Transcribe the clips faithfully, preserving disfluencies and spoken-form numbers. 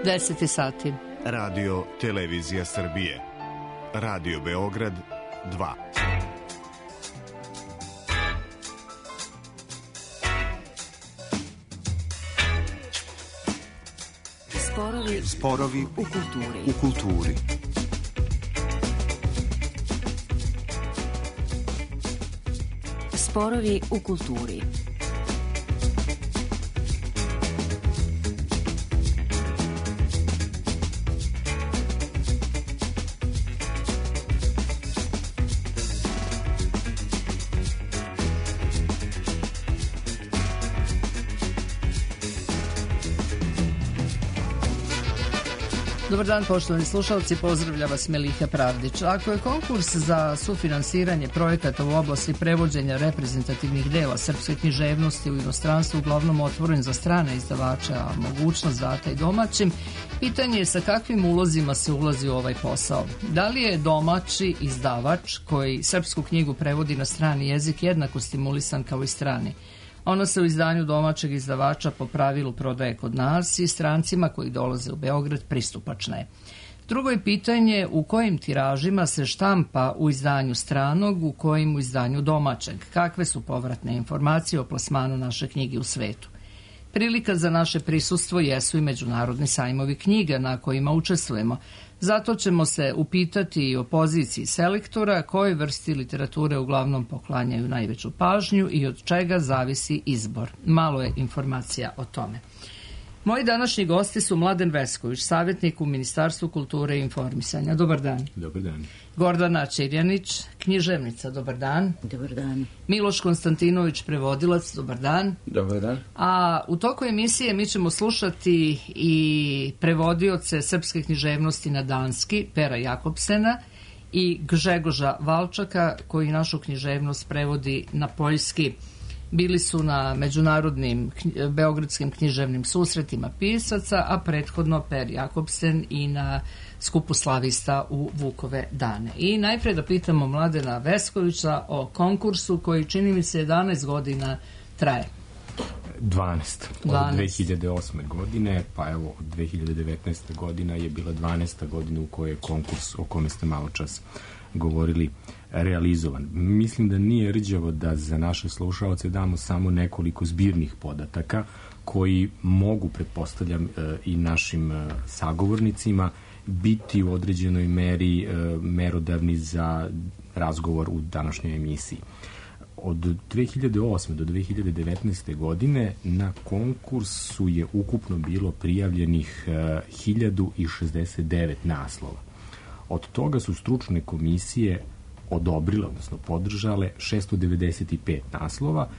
deset sati. Radio Televizija Srbije. Radio Beograd dva. Sporovi, Sporovi u kulturi. U kulturi. Sporovi u kulturi. Dobar dan, poštovani slušalci, pozdravlja vas Meliha Pravdić. Ako je konkurs za sufinansiranje projekata u oblasti prevođenja reprezentativnih dela srpske književnosti u inostranstvu uglavnom otvoren za strane izdavače, a mogućnost data i domaćim, pitanje je sa kakvim ulozima se ulazi u ovaj posao. Da li je domaći izdavač koji srpsku knjigu prevodi na strani jezik jednako stimulisan kao i strani? Ona se u izdanju domaćeg izdavača po pravilu prodaje kod nas i strancima koji dolaze u Beograd pristupačna je. Drugo je pitanje u kojim tiražima se štampa u izdanju stranog, u kojim u izdanju domaćeg. Kakve su povratne informacije o plasmanu naše knjige u svetu. Prilika za naše prisustvo jesu i međunarodni sajmovi knjiga na kojima učestvujemo. Zato ćemo se upitati i o poziciji selektora, kojoj vrsti literature uglavnom poklanjaju najveću pažnju i od čega zavisi izbor. Malo je informacija o tome. Moji današnji gosti su Mladen Vesković, savjetnik u Ministarstvu kulture i informisanja. Dobar dan. Dobar dan. Gordana Čirjanić, književnica. Dobar dan. Dobar dan. Miloš Konstantinović, prevodilac. Dobar dan. Dobar dan. A u toku emisije mi ćemo slušati i prevodioce srpske književnosti na danski, Pera Jakobsena, i Gžegoža Valčaka, koji našu književnost prevodi na poljski. Bili su na međunarodnim beogradskim književnim susretima pisaca, a prethodno Per Jakobsen i na skupu slavista u Vukove dane. I najpre da pitamo Mladena Veskovića o konkursu koji čini mi se jedanaest godina traje. dvanaest. Od dve hiljade osme godine, pa evo od dve hiljade devetnaeste godina je bila dvanaesta godina u kojoj je konkurs o kome ste malo čas govorili realizovan. Mislim da nije rđavo da za naše slušaoce damo samo nekoliko zbirnih podataka koji mogu, pretpostavljam, i našim sagovornicima biti u određenoj meri merodavni za razgovor u današnjoj emisiji. Od dve hiljade osme do dve hiljade devetnaeste godine na konkursu je ukupno bilo prijavljenih hiljadu šezdeset devet naslova. Od toga su stručne komisije odobrile, odnosno podržale šesto devedeset pet naslova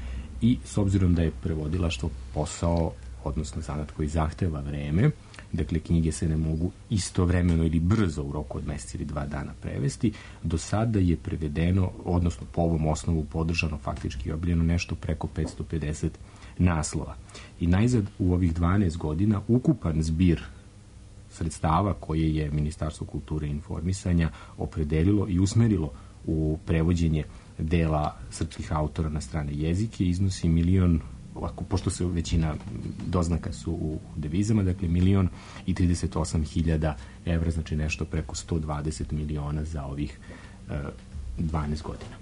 i s obzirom da je prevodilaštvo posao, odnosno zanat koji zahteva vreme, dakle knjige se ne mogu istovremeno ili brzo u roku od mesec ili dva dana prevesti, do sada je prevedeno, odnosno po ovom osnovu podržano, faktički objavljeno nešto preko petsto pedeset naslova. I najzad u ovih dvanaest godina ukupan zbir sredstava koje je Ministarstvo kulture i informisanja opredelilo i usmerilo u prevođenje dela srpskih autora na strane jezike iznosi milion, ovako, pošto se većina doznaka su u devizama, dakle milion i trideset osam hiljada evra, znači nešto preko sto dvadeset miliona za ovih uh, dvanaest godina.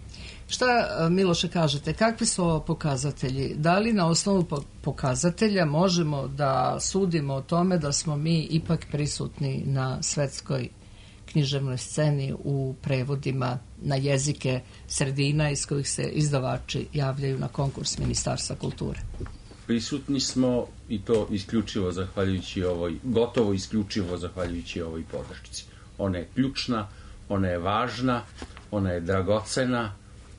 Šta, Miloše, kažete, kakvi su ovo pokazatelji? Da li na osnovu pokazatelja možemo da sudimo o tome da smo mi ipak prisutni na svetskoj književnoj sceni u prevodima na jezike sredina iz kojih se izdavači javljaju na konkurs Ministarstva kulture? Prisutni smo i to isključivo zahvaljujući ovoj, gotovo isključivo zahvaljujući ovoj podršci. Ona je ključna, ona je važna, ona je dragocena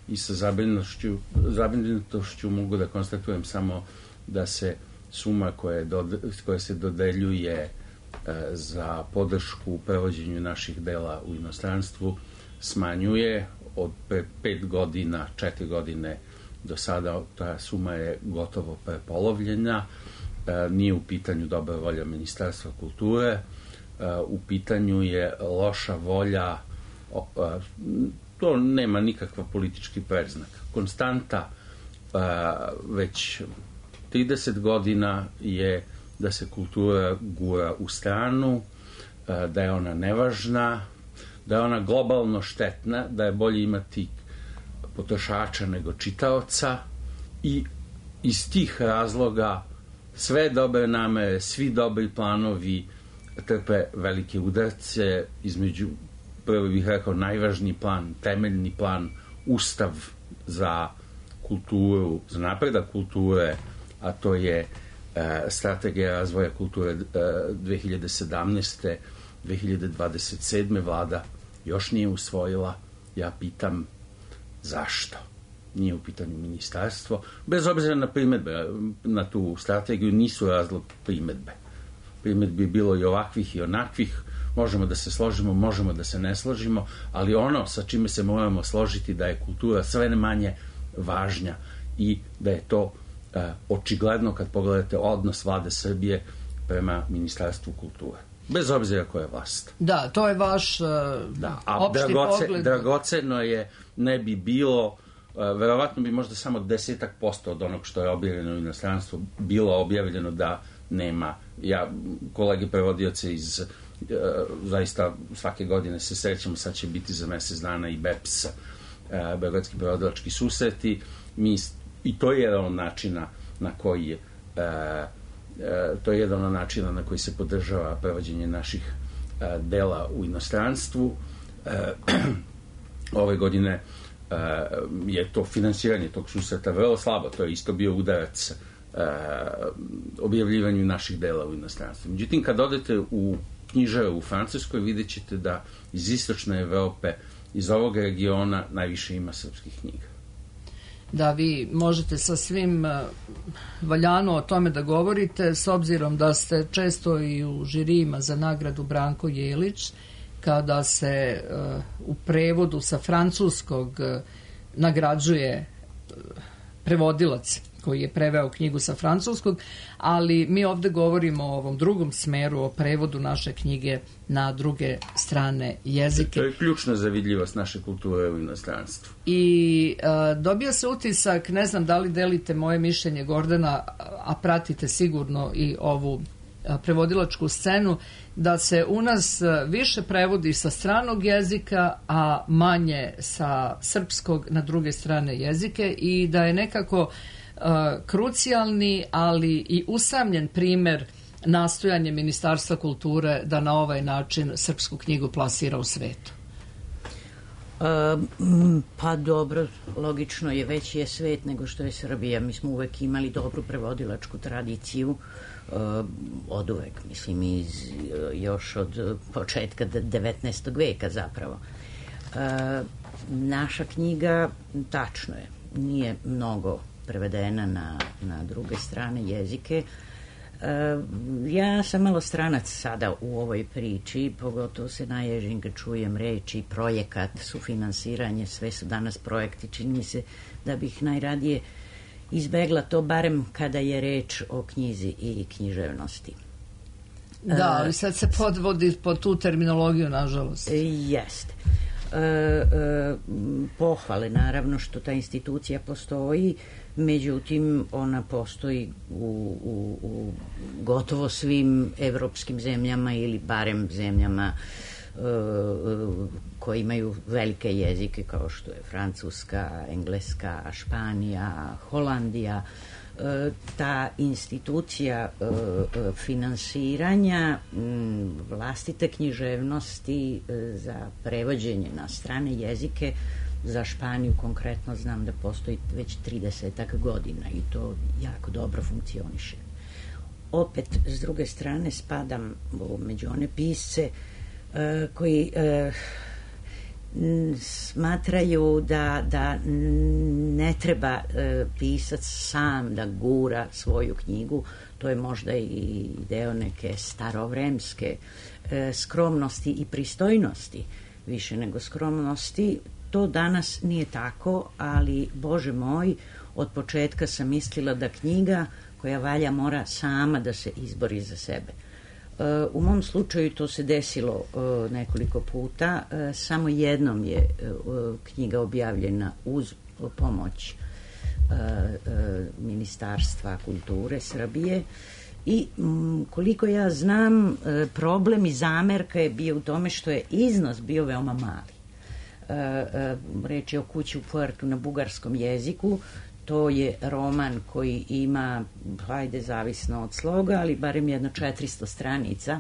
i sa zabrinutošću, zabrinutošću mogu da konstatujem samo da se suma koja, dode, koja se dodeljuje e, za podršku u prevođenju naših dela u inostranstvu smanjuje od pre pet godina, četiri godine do sada ta suma je gotovo prepolovljena. E, nije u pitanju dobra volja Ministarstva kulture, e, u pitanju je loša volja, o, e, to nema nikakva politički predznak. Konstanta e, već trideset godina je da se kultura gura u stranu, da je ona nevažna, da je ona globalno štetna, da je bolje imati potrošača nego čitaoca i iz tih razloga sve dobre namere, svi dobri planovi trpe velike udarce, između, prvo bih rekao, najvažniji plan, temeljni plan, ustav za kulturu, za napredak kulture, a to je e, strategija razvoja kulture e, dve hiljade sedamnaeste do dve hiljade dvadeset sedme vlada još nije usvojila. Ja pitam zašto? Nije u pitanju ministarstvo. Bez obzira na primedbe, na tu strategiju nisu razlog primedbe. Primedbi je bilo i ovakvih i onakvih, možemo da se složimo, možemo da se ne složimo, ali ono sa čime se moramo složiti da je kultura sve manje važnja i da je to uh, očigledno kad pogledate odnos vlade Srbije prema Ministarstvu kulture. Bez obzira koja je vlast. Da, to je vaš uh, da, a opšti dragoce, pogled. Dragoceno je, ne bi bilo, uh, verovatno bi možda samo desetak posto od onog što je objavljeno u inostranstvu bilo objavljeno da nema. Ja, kolege prevodioce iz uh, zaista svake godine se srećemo, sad će biti za mesec dana i B E P S, uh, Beogradski prevodilački susreti. Mi, i to je jedan od načina na koji je uh, Uh, to je jedan od načina na koji se podržava prevođenje naših uh, dela u inostranstvu. Uh, ove godine uh, je to finansiranje tog susreta vrlo slabo, to je isto bio udarac uh, objavljivanju naših dela u inostranstvu. Međutim, kad odete u knjižaru u Francuskoj, vidjet ćete da iz istočne Evrope, iz ovog regiona najviše ima srpskih knjiga. Da, vi možete sa svim valjano o tome da govorite, s obzirom da ste često i u žirijima za nagradu Branko Jelić, kada se uh, u prevodu sa francuskog uh, nagrađuje uh, prevodilac koji je preveo knjigu sa francuskog, ali mi ovde govorimo o ovom drugom smeru, o prevodu naše knjige na druge strane jezike. To je ključna za vidljivost naše kulture u inostranstvu. I uh, dobija se utisak, ne znam da li delite moje mišljenje, Gordana, a pratite sigurno i ovu a, prevodilačku scenu, da se u nas više prevodi sa stranog jezika, a manje sa srpskog na druge strane jezike i da je nekako Uh, krucijalni, ali i usamljen primer nastojanje Ministarstva kulture da na ovaj način srpsku knjigu plasira u svetu. Uh, pa dobro, logično je, veći je svet nego što je Srbija. Mi smo uvek imali dobru prevodilačku tradiciju, uh, od uvek, mislim, iz, uh, još od početka devetnaestog veka zapravo. Uh, naša knjiga, tačno je, nije mnogo prevedena na, na druge strane jezike. E, ja sam malo stranac sada u ovoj priči, pogotovo se naježim kad čujem reči projekat, sufinansiranje, sve su danas projekti. Čini mi se da bih najradije izbegla to, barem kada je reč o knjizi i književnosti. Da, ali sad se podvodi pod tu terminologiju, nažalost. E, jeste. E, e, pohvale, naravno, što ta institucija postoji, međutim ona postoji u, u, u gotovo svim evropskim zemljama ili barem zemljama e, koje imaju velike jezike kao što je Francuska, Engleska, Španija, Holandija. E, ta institucija e, finansiranja m, vlastite književnosti e, za prevođenje na strane jezike, za Španiju konkretno znam da postoji već tridesetak godina i to jako dobro funkcioniše. Opet, s druge strane, spadam među one pisce e, koji e, smatraju da, da ne treba e, pisac sam da gura svoju knjigu. To je možda i deo neke starovremske e, skromnosti i pristojnosti, više nego skromnosti. To danas nije tako, ali, Bože moj, od početka sam mislila da knjiga koja valja mora sama da se izbori za sebe. U mom slučaju to se desilo nekoliko puta. Samo jednom je knjiga objavljena uz pomoć Ministarstva kulture Srbije I m, koliko ja znam, problem i zamerka je bio u tome što je iznos bio veoma mali. E, e, reč je o Kući u Puertu na bugarskom jeziku. To je roman koji ima, hajde, zavisno od sloga, ali barem jedno četiristo stranica.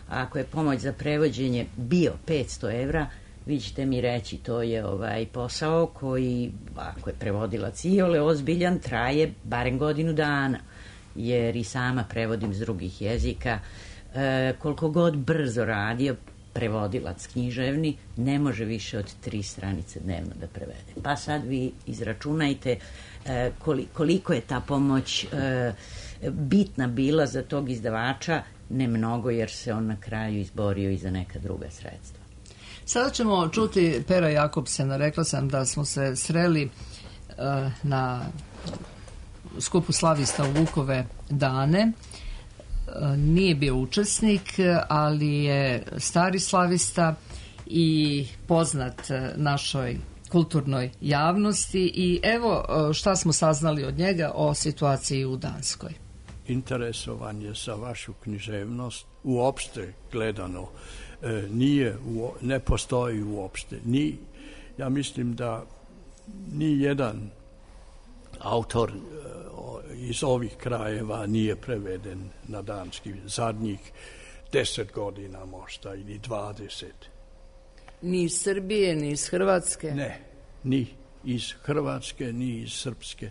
A ako je pomoć za prevođenje bio petsto evra, vi ćete mi reći, to je ovaj posao koji, ako je prevodilac iole ozbiljan, traje barem godinu dana, jer i sama prevodim s drugih jezika. E, koliko god brzo radio prevodilac književni, ne može više od tri stranice dnevno da prevede. Pa sad vi izračunajte e, koliko je ta pomoć e, bitna bila za tog izdavača, ne mnogo, jer se on na kraju izborio i za neka druga sredstva. Sada ćemo čuti Pera Jakobsena. Rekla sam da smo se sreli uh, na skupu slavista u Vukove dane. Uh, nije bio učesnik, ali je stari slavista i poznat našoj kulturnoj javnosti. I evo uh, šta smo saznali od njega o situaciji u Danskoj. Interesovanje za vašu književnost uopšte gledano e, nije, u, ne postoji uopšte. Ni, ja mislim da ni jedan autor e, iz ovih krajeva nije preveden na danski zadnjih deset godina možda ili dvadeset. Ni iz Srbije, ni iz Hrvatske? Ne, ni iz Hrvatske, ni iz Srpske.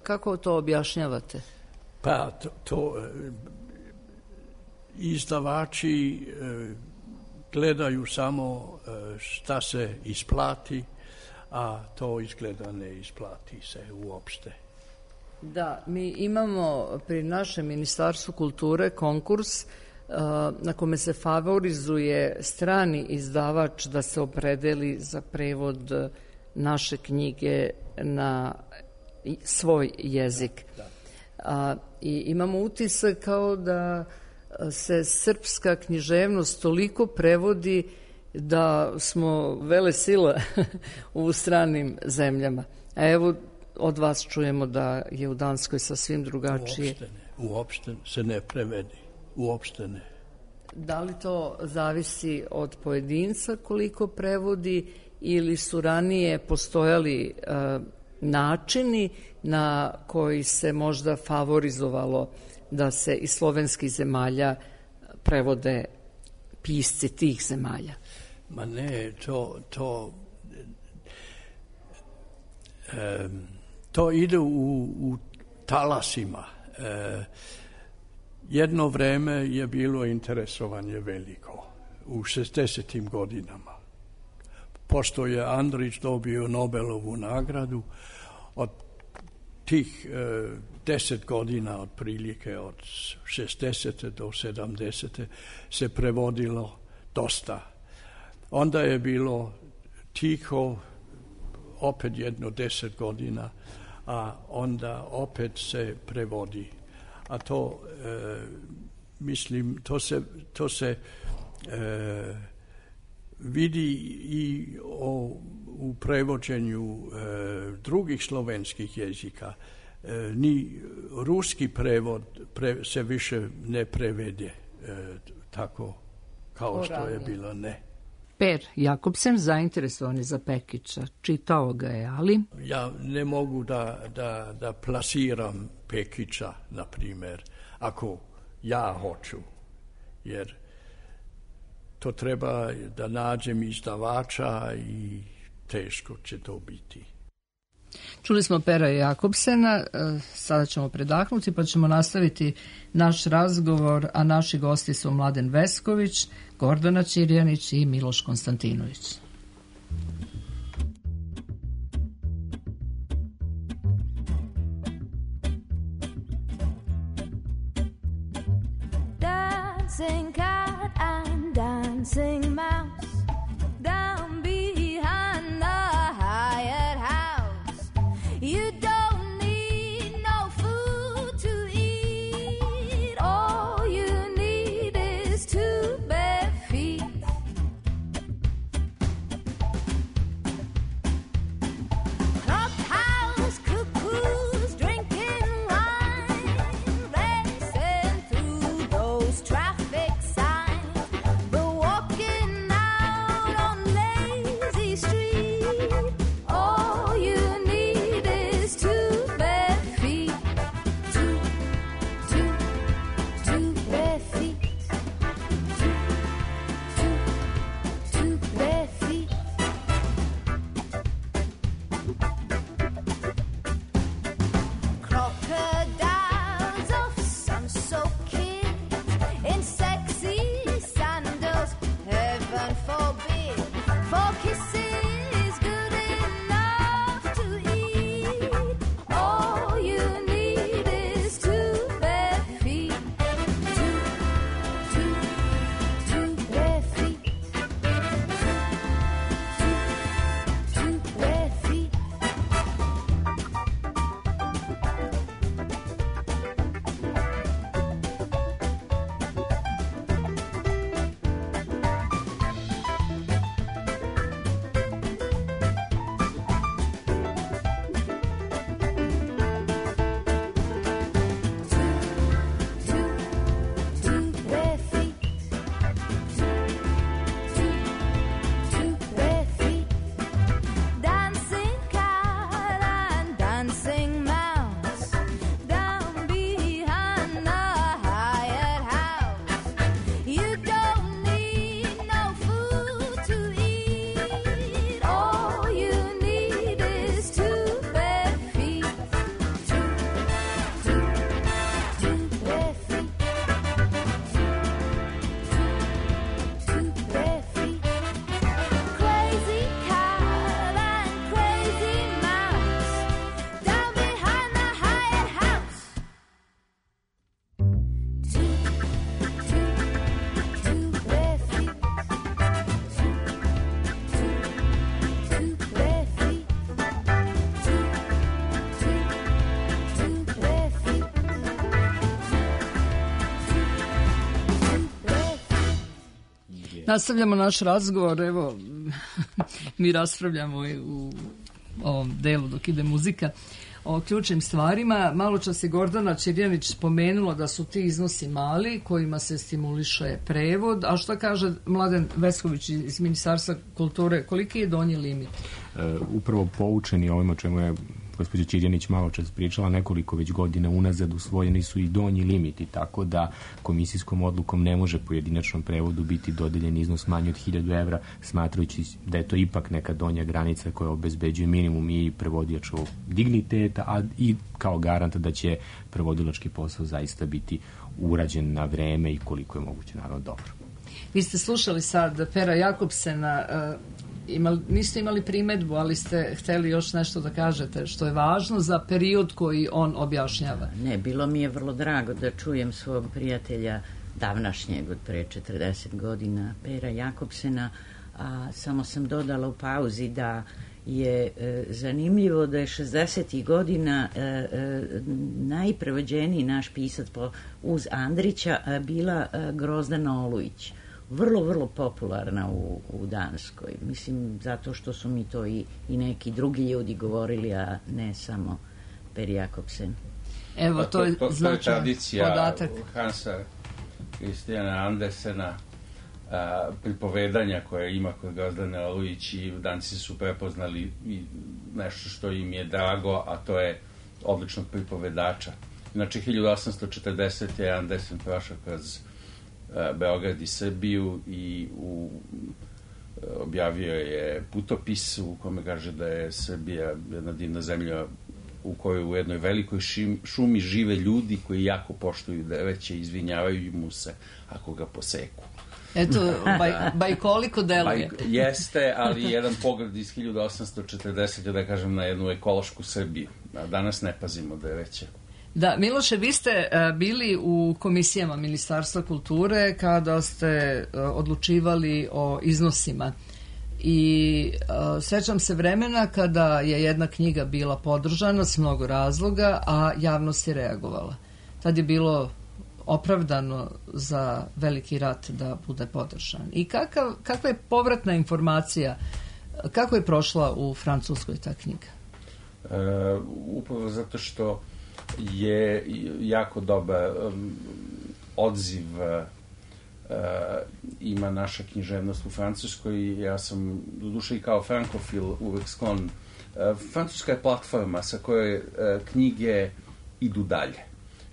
Kako to objašnjavate? Pa to, to izdavači gledaju samo šta se isplati, a to izgleda ne isplati se uopšte. Da, mi imamo pri našem Ministarstvu kulture konkurs na kome se favorizuje strani izdavač da se opredeli za prevod naše knjige na svoj jezik. Da. A, i imamo utisak kao da se srpska književnost toliko prevodi da smo vele sila u stranim zemljama. A evo od vas čujemo da je u Danskoj sasvim drugačije. Uopšte ne, uopšte se ne prevedi, uopšte ne. Da li to zavisi od pojedinca koliko prevodi ili su ranije postojali uh, načini na koji se možda favorizovalo da se iz slovenskih zemalja prevode pisci tih zemalja? Ma ne, to to e, to ide u, u talasima. E, jedno vreme je bilo interesovanje veliko u šezdesetim godinama. Pošto je Andrić dobio Nobelovu nagradu, od tih e, deset godina otprilike od šezdesete do sedamdesete se prevodilo dosta. Onda je bilo tiho opet jedno deset godina, a onda opet se prevodi. A to e, mislim, to se, to se e, vidi i o, u prevođenju e, drugih slovenskih jezika. E, ni ruski prevod pre, se više ne prevede e, tako kao što je bilo, ne. Per Jakobsen zainteresovan je za Pekića. Čitao ga je, ali... Ja ne mogu da, da, da plasiram Pekića, na primjer, ako ja hoću, jer to treba da nađem izdavača i teško će to biti. Čuli smo Pera Jakobsena, sada ćemo predahnuti pa ćemo nastaviti naš razgovor, a naši gosti su Mladen Vesković, Gordana Ćirjanić i Miloš Konstantinović. Dancing cat and dancing mouse down behind the hired house. You don't need no food to eat. All you need is two bare feet. Clubhouse cuckoos drinking wine, racing Nastavljamo naš razgovor, evo, mi raspravljamo u ovom delu dok ide muzika o ključnim stvarima. Malo čas je Gordana Ćirjanić spomenula da su ti iznosi mali kojima se stimuliše prevod, a što kaže Mladen Vesković iz Ministarstva kulture, koliki je donji limit? E, upravo poučeni ovim o čemu je gospođa Ćirjanić malo čas pričala, nekoliko već godina unazad usvojeni su i donji limiti, tako da komisijskom odlukom ne može pojedinačnom prevodu biti dodeljen iznos manji od hiljadu evra, smatrajući da je to ipak neka donja granica koja obezbeđuje minimum i prevodilačkog digniteta, a i kao garanta da će prevodilački posao zaista biti urađen na vreme i koliko je moguće, naravno, dobro. Vi ste slušali sad Pera Jakobsena, Imali, niste imali primedbu, ali ste hteli još nešto da kažete što je važno za period koji on objašnjava. Ne, bilo mi je vrlo drago da čujem svog prijatelja davnašnjeg od pre četrdeset godina, Pera Jakobsena, a samo sam dodala u pauzi da je e, zanimljivo da je šezdesetih godina e, e, najprevođeniji naš pisac po, uz Andrića a, bila a, Grozdana Olujić. Vrlo, vrlo popularna u, u Danskoj. Mislim, zato što su mi to i, i neki drugi ljudi govorili, a ne samo Per Jakobsen. Evo, to je to, to, značajan to je tradicija podatak. Hansa Kristijana Andersena, a, pripovedanja koje ima kod Grozdane Olujić, i Danci su prepoznali i nešto što im je drago, a to je odličnog pripovedača. Znači, hiljadu osamsto četrdesete je Andersen prošao kroz Beograd i Srbiju i u, objavio je putopis u kome kaže da je Srbija jedna divna zemlja u kojoj u jednoj velikoj šim, šumi žive ljudi koji jako poštuju drveće i izvinjavaju mu se ako ga poseku. Eto, baj, bajkoliko deluje. Baj, jeste, ali jedan pogled iz hiljadu osamsto četrdesete, da kažem, na jednu ekološku Srbiju. A danas ne pazimo drveće. Da, Miloše, vi ste uh, bili u komisijama Ministarstva kulture kada ste uh, odlučivali o iznosima i uh, sećam se vremena kada je jedna knjiga bila podržana s mnogo razloga, a javnost je reagovala. Tad je bilo opravdano za veliki rat da bude podržan. I kakav, kakva je povratna informacija, kako je prošla u Francuskoj ta knjiga? E, upravo zato što je jako dobar um, odziv uh, ima naša književnost u Francuskoj. Ja sam, doduše i kao frankofil, uvek sklon. Uh, Francuska je platforma sa kojoj uh, knjige idu dalje.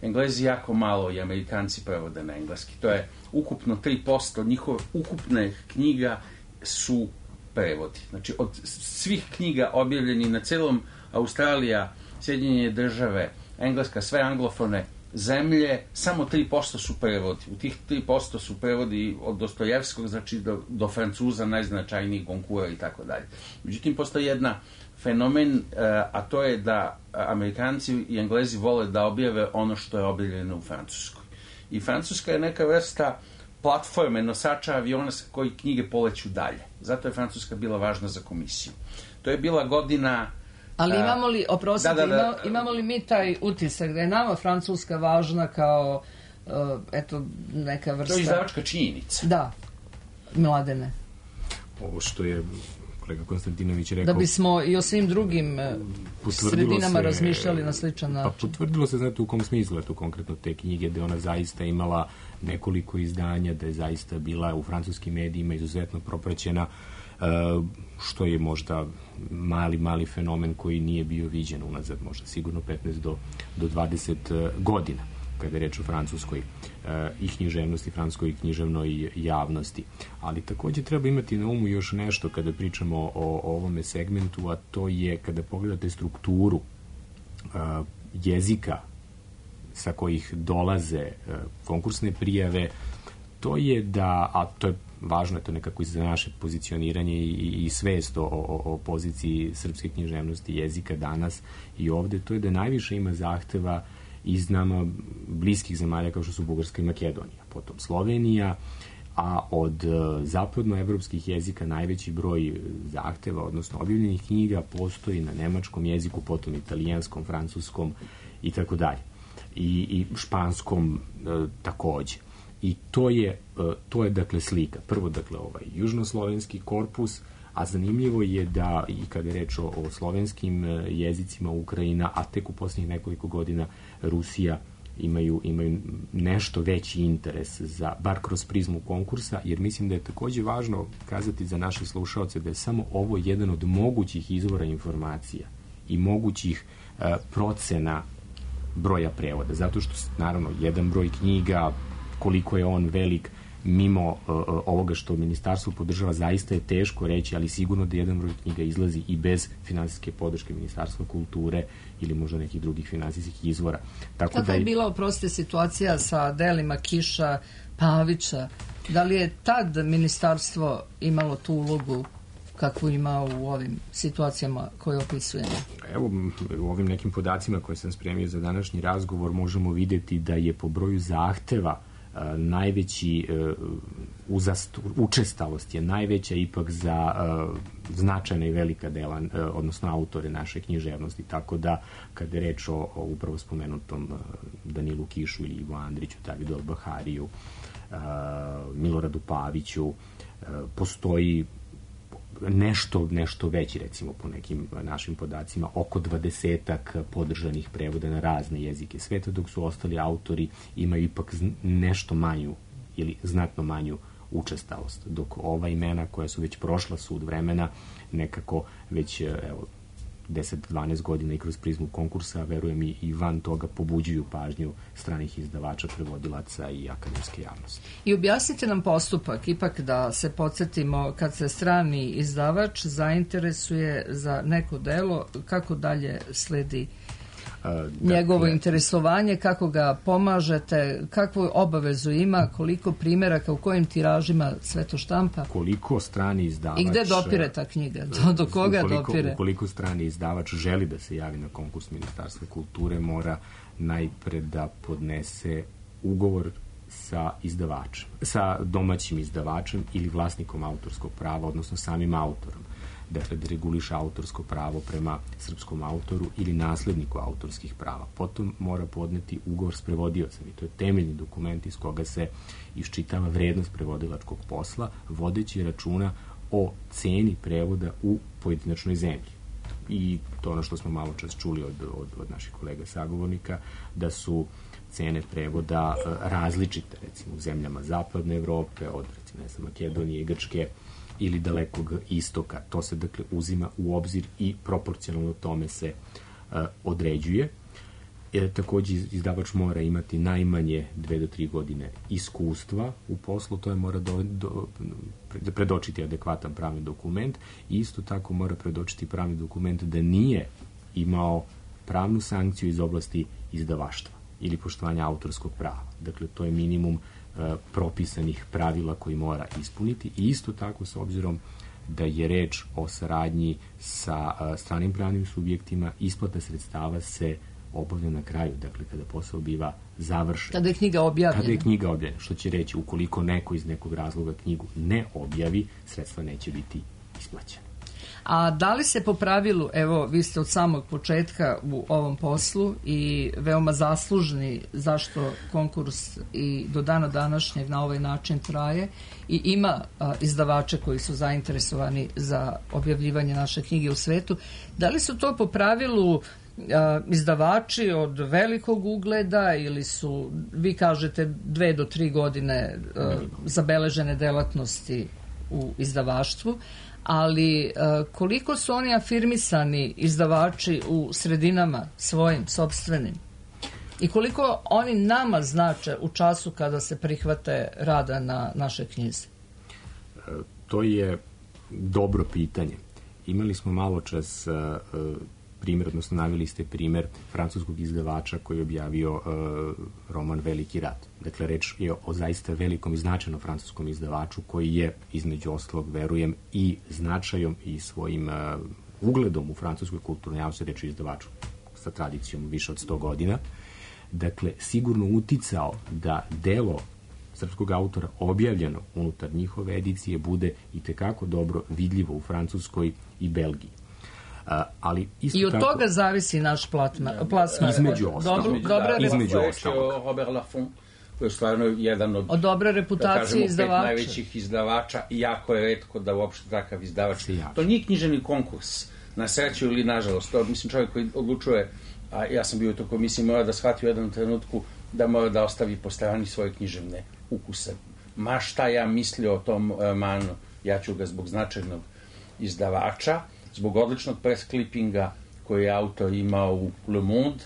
Englezi jako malo i Amerikanci prevode na engleski. To je ukupno tri posto njihove ukupne knjiga su prevodi. Znači, od svih knjiga objavljeni na celom Australija, Sjedinjene države, Engleska, sve anglofone zemlje, samo tri posto su prevodi. U tih tri posto su prevodi od Dostojevskog, znači do, do Francuza, najznačajnijih Gonkura i tako dalje. Međutim, postoji jedna fenomen, a to je da Amerikanci i Englezi vole da objave ono što je objavljeno u Francuskoj. I Francuska je neka vrsta platforme, nosača aviona sa koji knjige poleću dalje. Zato je Francuska bila važna za komisiju. To je bila godina... Ali imamo li, oprostite, da, da, da, imamo, imamo li mi taj utisak da je nama Francuska važna kao, uh, eto, neka vrsta... To je izdavačka činjenica. Da, Mladene. Ovo što je kolega Konstantinović rekao... Da bismo i o svim drugim sredinama se, razmišljali na sličan način. Pa potvrdilo se, znate, u kom smislu je to konkretno te knjige, da ona zaista imala nekoliko izdanja, da je zaista bila u francuskim medijima izuzetno propraćena, što je možda mali, mali fenomen koji nije bio viđen unazad, možda sigurno petnaest do dvadeset godina, kada je reč o francuskoj i književnosti, francuskoj književnoj javnosti. Ali također treba imati na umu još nešto kada pričamo o, o ovome segmentu, a to je kada pogledate strukturu jezika sa kojih dolaze konkursne prijave, to je da, a to je važno, je to nekako i za naše pozicioniranje i, i svest o, o, o poziciji srpske književnosti jezika danas i ovde, to je da najviše ima zahteva iz nama bliskih zemalja kao što su Bugarska i Makedonija, potom Slovenija, a od zapadnoevropskih jezika najveći broj zahteva, odnosno objavljenih knjiga, postoji na nemačkom jeziku, potom italijanskom, francuskom i tako dalje. I, i španskom e, takođe. I to je, to je dakle slika. Prvo, dakle, ovaj južnoslovenski korpus, a zanimljivo je da i kada je reč o, o slovenskim jezicima Ukrajina, a tek u posljednjih nekoliko godina Rusija, imaju, imaju nešto veći interes za, bar kroz prizmu konkursa, jer mislim da je takođe važno kazati za naše slušaoce da je samo ovo jedan od mogućih izvora informacija i mogućih uh, procena broja prevoda, zato što naravno jedan broj knjiga, koliko je on velik mimo uh, ovoga što ministarstvo podržava, zaista je teško reći, ali sigurno da jedan broj knjiga izlazi i bez finansijske podrške Ministarstva kulture ili možda nekih drugih finansijskih izvora. Tako Kako da je bila, oprostite, situacija sa delima Kiša, Pavića? Da li je tad ministarstvo imalo tu ulogu kakvu ima u ovim situacijama koje opisujemo? Evo, u ovim nekim podacima koje sam spremio za današnji razgovor možemo vidjeti da je po broju zahteva Uh, najveći uh, uzast, učestalost je najveća ipak za uh, značajna i velika dela, uh, odnosno autore naše književnosti, tako da kada je reč o, o upravo spomenutom uh, Danilu Kišu ili Ivo Andriću, Davidu Albahariju, uh, Miloradu Paviću, uh, postoji nešto, nešto veći, recimo po nekim našim podacima, oko dvadesetak podržanih prevoda na razne jezike sveta, dok su ostali autori imaju ipak nešto manju ili znatno manju učestalost, dok ova imena koja su već prošla sud vremena nekako već evo, deset do dvanaest godina i kroz prizmu konkursa, verujem i, i van toga pobuđuju pažnju stranih izdavača, prevodilaca i akademske javnosti. I objasnite nam postupak, ipak da se podsjetimo, kad se strani izdavač zainteresuje za neko delo, kako dalje sledi Uh, njegovo dakle, interesovanje, kako ga pomažete, kakvu obavezu ima, koliko primjeraka, u kojim tiražima sve to štampa? Koliko strani izdavač... I gde dopire ta knjiga? Do, do koga ukoliko, dopire? Ukoliko strani izdavač želi da se javi na konkurs Ministarstva kulture, mora najpre da podnese ugovor sa izdavačem, sa domaćim izdavačem ili vlasnikom autorskog prava, odnosno samim autorom. Dakle, da reguliše autorsko pravo prema srpskom autoru ili nasledniku autorskih prava. Potom mora podneti ugovor s prevodiocem i to je temeljni dokument iz koga se iščitava vrednost prevodilačkog posla, vodeći računa o ceni prevoda u pojedinačnoj zemlji. I to ono što smo malo čas čuli od, od, od naših kolega sagovornika, da su cene prevoda različite, recimo u zemljama Zapadne Evrope, od recimo, ne znam, Makedonije i Grčke, ili Dalekog istoka. To se dakle uzima u obzir i proporcionalno tome se uh, određuje. E, takođe izdavač mora imati najmanje dve do tri godine iskustva u poslu, to je mora do, do, predočiti adekvatan pravni dokument i isto tako mora predočiti pravni dokument da nije imao pravnu sankciju iz oblasti izdavaštva ili poštovanja autorskog prava. Dakle, to je minimum propisanih pravila koji mora ispuniti i isto tako s obzirom da je reč o saradnji sa stranim pravnim subjektima, isplata sredstava se obavlja na kraju, dakle kada posao biva završen. Kada je knjiga objavljena. Kada je knjiga objavljena, što će reći ukoliko neko iz nekog razloga knjigu ne objavi, sredstva neće biti isplaćena. A da li se po pravilu, evo, vi ste od samog početka u ovom poslu i veoma zaslužni zašto konkurs i do dana današnjeg na ovaj način traje i ima a, izdavače koji su zainteresovani za objavljivanje naše knjige u svetu, da li su to po pravilu a, izdavači od velikog ugleda ili su, vi kažete, dve do tri godine a, zabeležene delatnosti u izdavaštvu, ali uh, koliko su oni afirmisani izdavači u sredinama svojim, sopstvenim? I koliko oni nama znače u času kada se prihvate rada na naše knjizi? To je dobro pitanje. Imali smo malo čas uh, primjer, odnosno naveli ste primjer francuskog izdavača koji je objavio uh, roman Veliki rat. Dakle, reč je o zaista velikom i značajnom francuskom izdavaču koji je, između ostalog, verujem, i značajom i svojim uh, ugledom u francuskoj kulturnoj javnosti, reč je izdavaču sa tradicijom više od sto godina. Dakle, sigurno uticao da delo srpskog autora objavljeno unutar njihove edicije bude i tekako dobro vidljivo u Francuskoj i Belgiji. Uh, ali isto I od tako, toga zavisi naš platma, plasman. Između ostalog. Dobro, dobra između ostalog. ostalog. Robert Laffont koji je stvarno jedan od, od dobre reputacije da kažemo, izdavača. pet najvećih izdavača i jako je retko da uopšte takav izdavač. To nije književni konkurs, na sreću ili nažalost. To, mislim, čovjek koji odlučuje, a ja sam bio u toj komisiji, mora da shvati u jednom trenutku da mora da ostavi po strani svoje književne ukuse. Ma šta ja mislio o tom romanu, ja ću ga zbog značajnog izdavača, zbog odličnog press clippinga koji je autor imao u Le Monde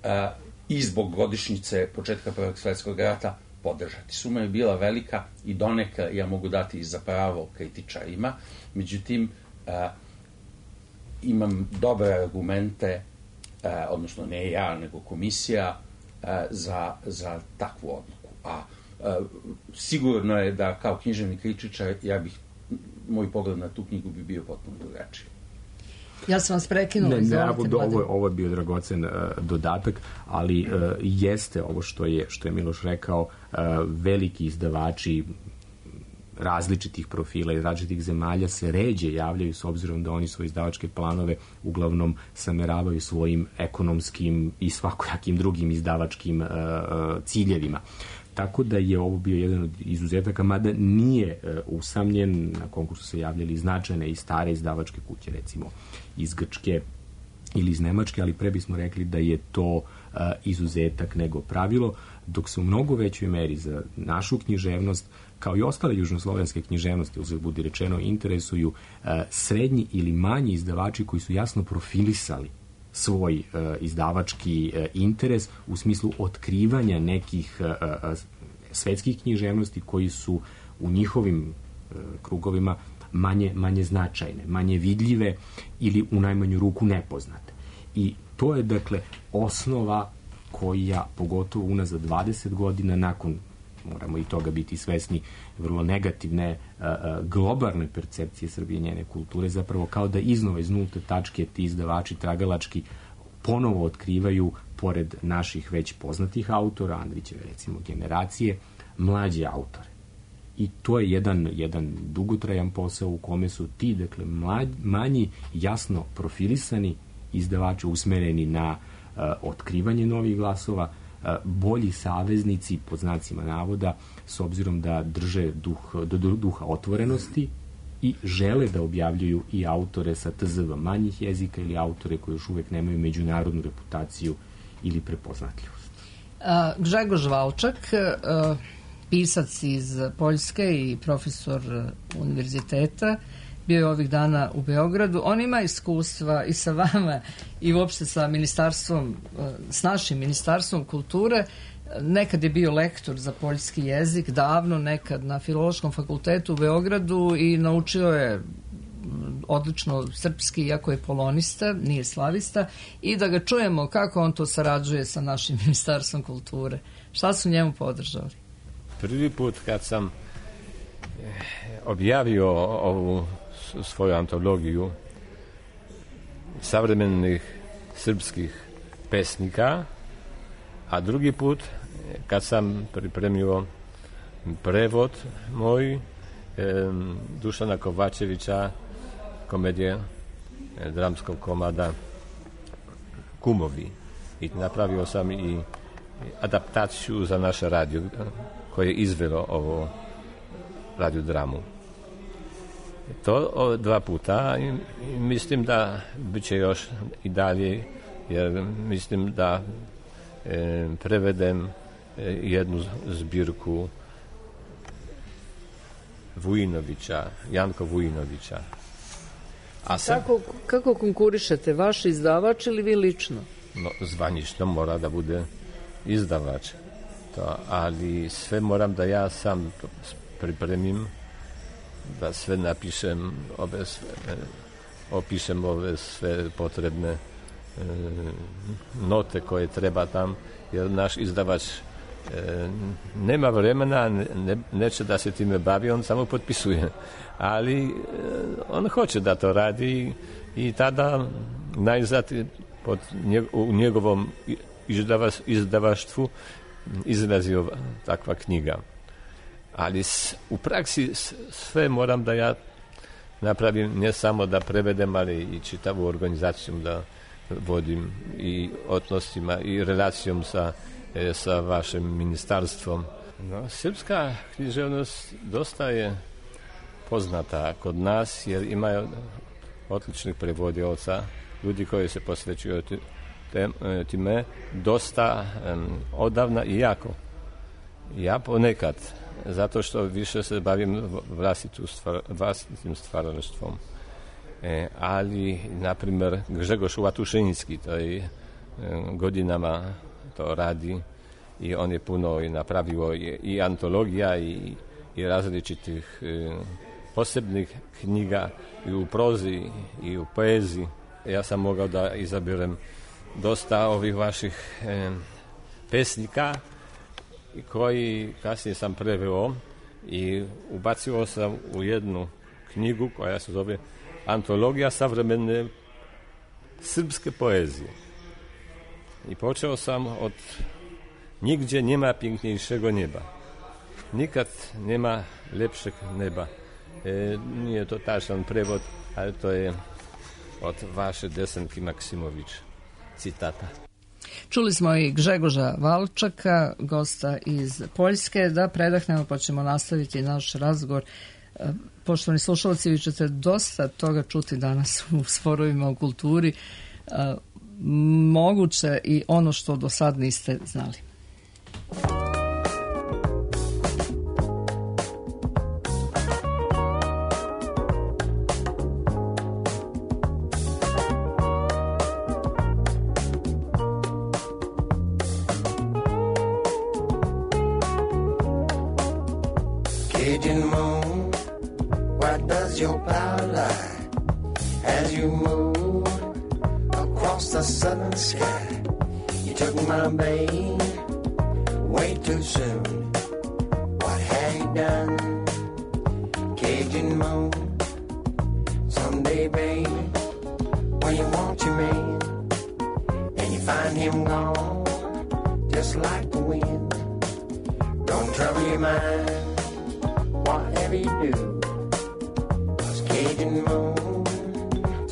a, i zbog godišnjice početka Prvog svjetskog rata podržati. Suma je bila velika i donekle ja mogu dati i za pravo kritičarima, međutim a, imam dobre argumente, a, odnosno ne ja, nego komisija a, za, za takvu odluku. A, a sigurno je da kao književni kritičar ja bih, moj pogled na tu knjigu bi bio potpuno drugačiji. Ja sam vas prekinula. Ne, ne, ovo, ovo je bio dragocen uh, dodatak, ali uh, jeste ovo što je, što je Miloš rekao, uh, veliki izdavači različitih profila iz različitih zemalja se ređe javljaju s obzirom da oni svoje izdavačke planove uglavnom sameravaju svojim ekonomskim i svakojakim drugim izdavačkim uh, ciljevima. Tako da je ovo bio jedan od izuzetaka, mada nije uh, usamljen. Na konkursu se javljali značajne i stare izdavačke kuće, recimo iz Grčke ili iz Nemačke, ali pre bismo rekli da je to uh, izuzetak nego pravilo, dok se u mnogo većoj meri za našu književnost, kao i ostale južnoslovenske književnosti, uzet budi rečeno, interesuju uh, srednji ili manji izdavači koji su jasno profilisali svoj uh, izdavački uh, interes u smislu otkrivanja nekih uh, uh, svetskih književnosti koji su u njihovim uh, krugovima manje, manje značajne, manje vidljive ili u najmanju ruku nepoznate. I to je, dakle, osnova koja, pogotovo unazad dvadeset godina, nakon, moramo i toga biti svesni, vrlo negativne uh, globalne percepcije Srbije i njene kulture, zapravo kao da iznova iz nulte tačke ti izdavači tragalački ponovo otkrivaju, pored naših već poznatih autora, Andrićeve recimo generacije, mlađe autore. I to je jedan, jedan dugotrajan posao u kome su ti, dakle, mlađ, manji, jasno profilisani izdavači usmereni na uh, otkrivanje novih glasova, uh, bolji saveznici, pod znacima navoda, s obzirom da drže duh, do, do, duha otvorenosti i žele da objavljuju i autore sa T Z V manjih jezika ili autore koji još uvek nemaju međunarodnu reputaciju ili prepoznatljivost. Uh, Grzegorz Valčak, uh, pisac iz Poljske i profesor univerziteta, bio je ovih dana u Beogradu. On ima iskustva i sa vama i uopšte sa ministarstvom, s našim ministarstvom kulture. Nekad je bio lektor za poljski jezik, davno, nekad na Filološkom fakultetu u Beogradu i naučio je odlično srpski, iako je polonista, nije slavista, i da ga čujemo kako on to sarađuje sa našim ministarstvom kulture. Šta su njemu podržali? Prvi put kad sam objavio ovu svoju antologiju savremenih srpskih pesnika, a drugi put kad sam pripremio prevod moj Dušana Kovačevića, komedije dramskog komada Kumovi. I napravio sam i adaptaciju za naše radio koje je izvelo ovo radiodramu. To dva puta i mislim da bit će još i dalje, jer mislim da e, prevedem e, jednu zbirku Vujinovića, Janko Vujinovića. A sam, kako, kako konkurišete, vaš izdavač ili vi lično? No, zvanično mora da bude izdavač. To, ali sve moram da ja sam pripremim, da sve napišem, ove sve, opišem ove sve potrebne e, note koje treba tam, jer naš izdavač e, nema vremena, ne, neće da se time bavi, on samo potpisuje. Ali e, on hoće da to radi i tada najzad pod njeg, u njegovom izdavaš, izdavaštvu izrazio takva knjiga. Ali s, u praksi s, sve moram da ja napravim, ne samo da prevedem, ali i čitavu organizaciju da vodim i odnosima i relacijom sa e, sa vašim ministarstvom. No, srpska književnost dosta je poznata kod nas jer imaju odličnih prevodioca, ljudi koji se posvećuju time dosta um, odavna i jako. Ja ponekad, zato što više se bavim vlastitim stvaralaštvom. E, ali, na primjer, Grzegorz Łatušiński, to je e, godinama to radi i on je puno i napravio i, i antologija i, i različitih e, posebnih knjiga i u prozi i u poeziji. Ja sam mogao da izaberem dosta ovih vaših e, pesnika koji kasnije sam preveo i ubacio sam u jednu knjigu koja se zove Antologija savremene srpske poezije. I počeo sam od Nigdzie nie ma piękniejszego nieba. Nikad nema lepšeg neba. E, nije to tačan prevod, ali to je od vaše Desanki Maksimović citata. Čuli smo i Grzegorza Walczaka, gosta iz Poljske. Da predahnemo pa ćemo nastaviti naš razgovor. Poštovani slušalci, vi ćete dosta toga čuti danas u Sporovima o kulturi. Moguće i ono što do sad niste znali. Cajun moon, why does your power lie as you move across the southern sky? You took my babe way too soon. What have you done, Cajun moon? Someday, baby, when you want your man and you find him gone, just like the wind, don't trouble your mind. Whatever you do, 'cause Cajun moon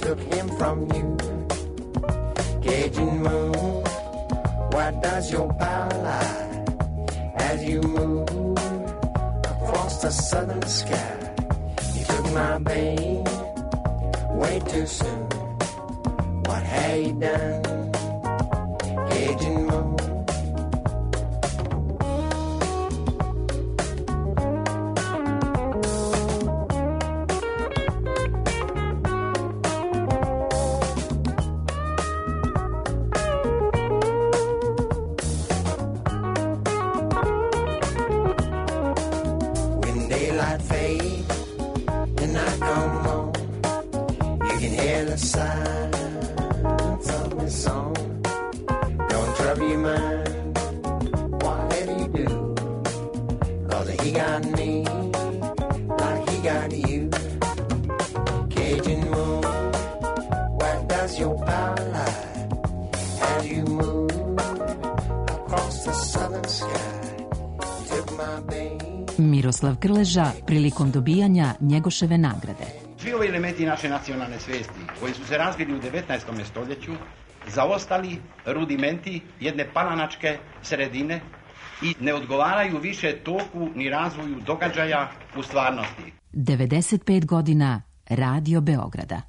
took him from you. Cajun moon, why does your power lie as you move across the southern sky? You took my babe way too soon. What have you done, Cajun moon? Miroslav Krleža prilikom dobijanja Njegoševe nagrade. Svi ovi elementi naše nacionalne svijesti koji su se razvili u devetnaestom stoljeću zaostali rudimenti jedne palanačke sredine i ne odgovaraju više toku ni razvoju događaja u stvarnosti. devedeset pet godina Radio Beograda.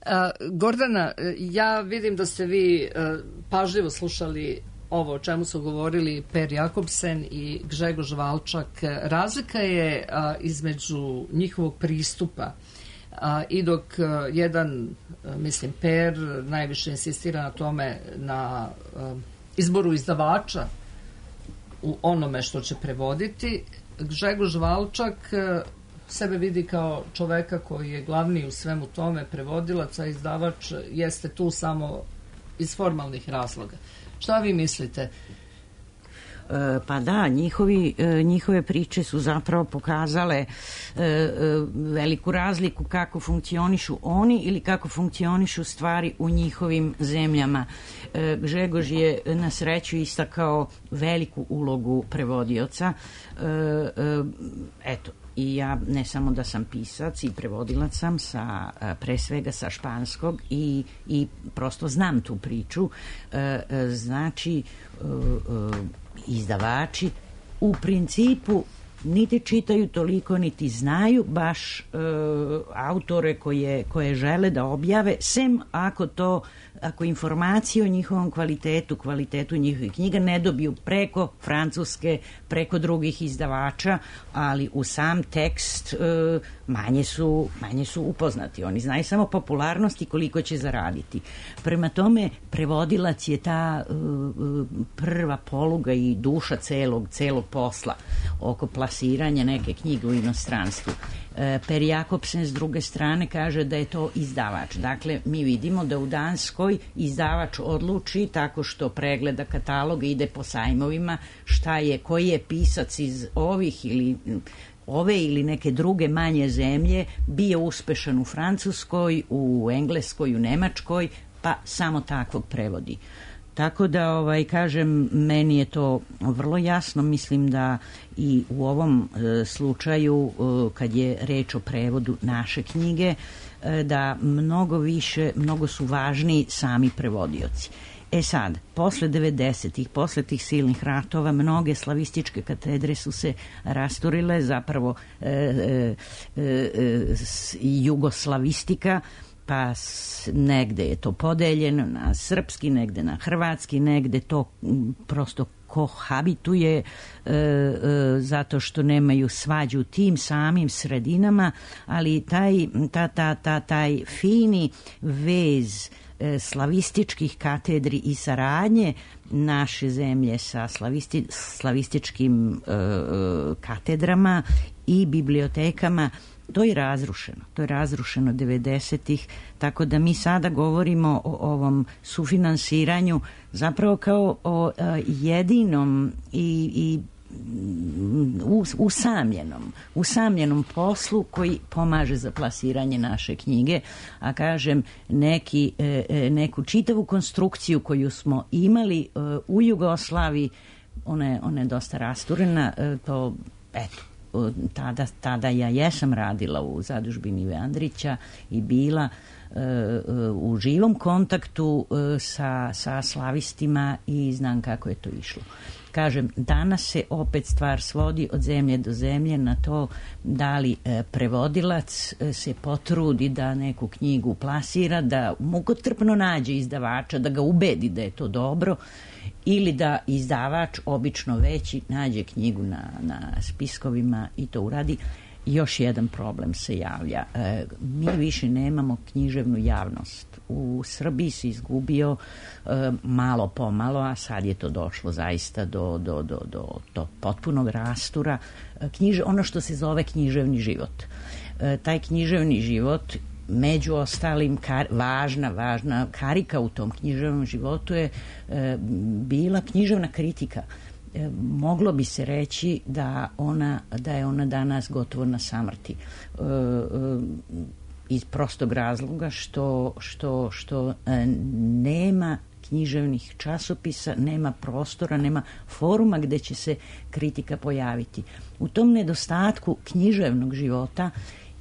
A, Gordana, ja vidim da ste vi a, pažljivo slušali ovo o čemu su govorili Per Jakobsen i Grzegorz Walczak. Razlika je a, između njihovog pristupa a, i dok a, jedan, a, mislim, Per najviše insistira na tome, na a, izboru izdavača u onome što će prevoditi, Grzegorz Walczak a, sebe vidi kao čoveka koji je glavni u svemu tome, prevodilac, a izdavač jeste tu samo iz formalnih razloga. Šta vi mislite? Pa da, njihovi, njihove priče su zapravo pokazale veliku razliku kako funkcionišu oni ili kako funkcionišu stvari u njihovim zemljama. Gžegož je na sreću istakao veliku ulogu prevodioca. Eto, i ja ne samo da sam pisac i prevodilac sam sa, pre svega sa španskog i, i prosto znam tu priču. Znači, izdavači u principu niti čitaju toliko, niti znaju baš e, autore koje, koje žele da objave, sem ako to, ako informacije o njihovom kvalitetu, kvalitetu njihovih knjiga ne dobiju preko Francuske, preko drugih izdavača, ali u sam tekst e, manje su, manje su upoznati. Oni znaju samo popularnost i koliko će zaraditi. Prema tome, prevodilac je ta e, prva poluga i duša celog, celog posla oko plasiranja neke knjige u inostranstvu. E, Per Jakobsen s druge strane kaže da je to izdavač. Dakle, mi vidimo da u Danskoj izdavač odluči tako što pregleda kataloga, ide po sajmovima, šta je, koji je pisac iz ovih ili ove ili neke druge manje zemlje bio uspešan u Francuskoj, u Engleskoj, u Nemačkoj, pa samo takvog prevodi. Tako da, ovaj, kažem, meni je to vrlo jasno. Mislim da i u ovom e, slučaju, e, kad je reč o prevodu naše knjige, e, da mnogo više, mnogo su važniji sami prevodioci. E sad, posle devedesetih, posle tih silnih ratova, mnoge slavističke katedre su se rasturile, zapravo e, e, e, jugoslavistika, pa negde je to podeljeno na srpski, negde na hrvatski, negde to prosto kohabituje e, e, zato što nemaju svađu u tim samim sredinama, ali taj, ta, ta, ta, taj fini vez e, slavističkih katedri i saradnje naše zemlje sa slavisti, slavističkim e, katedrama i bibliotekama, to je razrušeno. To je razrušeno devedesetih, tako da mi sada govorimo o ovom sufinansiranju zapravo kao o a, jedinom i, i us, usamljenom, usamljenom poslu koji pomaže za plasiranje naše knjige, a kažem, neki, e, neku čitavu konstrukciju koju smo imali e, u Jugoslaviji, ona je, ona je dosta rasturena, e, to, eto, Tada, tada ja jesam radila u zadužbini Ive Andrića i bila e, u živom kontaktu e, sa, sa slavistima i znam kako je to išlo. Kažem, danas se opet stvar svodi od zemlje do zemlje na to da li e, prevodilac e, se potrudi da neku knjigu plasira, da mukotrpno nađe izdavača, da ga ubedi da je to dobro, ili da izdavač, obično veći, nađe knjigu na, na spiskovima i to uradi. Još jedan problem se javlja. E, mi više nemamo književnu javnost. U Srbiji se izgubio e, malo pomalo, a sad je to došlo zaista do, do, do, do, do potpunog rastura. E, knjiže, ono što se zove književni život. E, taj književni život, među ostalim, kar, važna, važna karika u tom književnom životu je e, bila književna kritika. E, moglo bi se reći da, ona, da je ona danas gotovo na samrti. E, e, iz prostog razloga što, što, što e, nema književnih časopisa, nema prostora, nema foruma gde će se kritika pojaviti. U tom nedostatku književnog života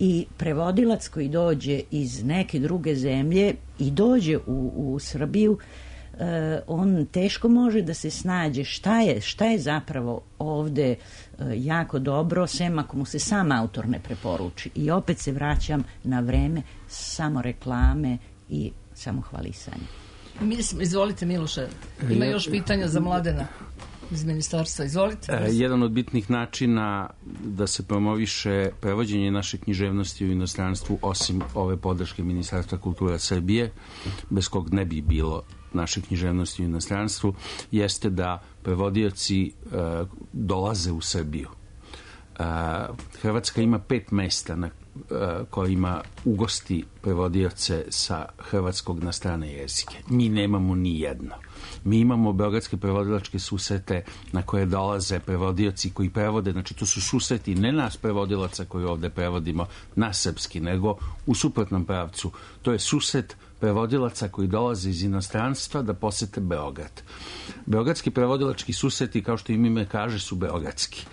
i prevodilac koji dođe iz neke druge zemlje i dođe u, u Srbiju, eh, on teško može da se snađe šta je, šta je zapravo ovde eh, jako dobro, sem ako mu se sam autor ne preporuči. I opet se vraćam na vreme samo reklame i samo hvalisanje. Mislim, izvolite Miloše, ima još pitanja za Mladena iz ministarstva, izvolite. E, jedan od bitnih načina da se promoviše prevođenje naše književnosti u inostranstvu, osim ove podrške Ministarstva kulture Srbije, bez kog ne bi bilo naše književnosti u inostranstvu, jeste da prevodioci e, dolaze u Srbiju. E, Hrvatska ima pet mesta na kojima ugosti prevodioce sa hrvatskog na strane jezike. Mi nemamo ni jedno. Mi imamo beogradske prevodilačke susrete na koje dolaze prevodioci koji prevode, znači to su susreti ne nas prevodilaca koji ovde prevodimo na srpski, nego u suprotnom pravcu. To je susret prevodilaca koji dolaze iz inostranstva da posete Beograd. Beogradski prevodilački susreti, kao što im ime kaže, su beogradski.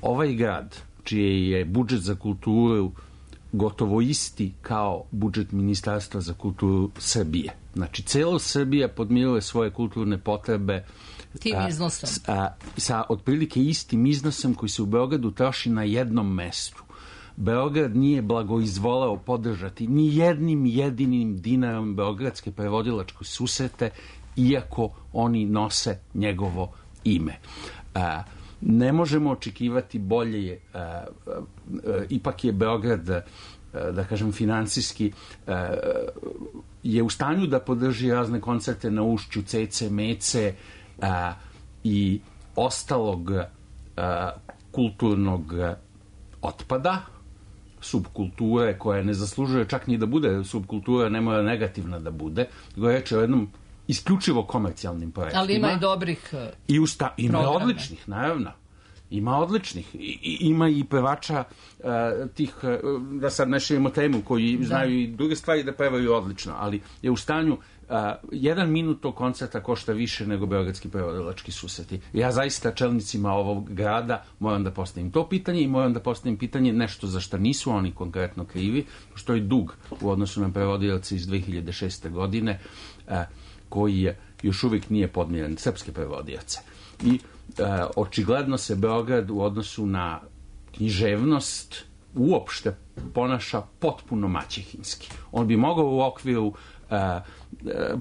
Ovaj grad, čiji je budžet za kulturu gotovo isti kao budžet Ministarstva za kulturu Srbije. Znači, celo Srbija podmiruje svoje kulturne potrebe tim iznosom. A, a, sa otprilike istim iznosom koji se u Beogradu troši na jednom mestu. Beograd nije blagoizvoleo podržati ni jednim jedinim dinarom beogradske prevodilačke susrete, iako oni nose njegovo ime. A, ne možemo očekivati bolje, a, a, a, ipak je Beograd, a, da kažem, finansijski a, je u stanju da podrži razne koncerte na Ušću, Cece, Mece a, i ostalog a, kulturnog otpada, subkulture koja ne zaslužuje čak ni da bude subkultura, ne mora negativna da bude, nego je reč o jednom isključivo komercijalnim projektima. Ali ima i dobrih I usta, ima programa. odličnih, naravno. Ima odličnih. I, ima i pevača uh, tih, uh, da sad ne širimo temu, koji da. znaju i druge stvari da pevaju odlično, ali je u stanju uh, jedan minut tog koncerta košta više nego beogradski prevodilački susreti. Ja zaista čelnicima ovog grada moram da postavim to pitanje i moram da postavim pitanje nešto za što nisu oni konkretno krivi, što je dug u odnosu na prevodioce iz dve hiljade šeste. godine, uh, koji je, još uvijek nije podmiren, srpske prevodioce. I E, očigledno se Beograd u odnosu na književnost uopšte ponaša potpuno maćehinski. On bi mogao u okviru e, e,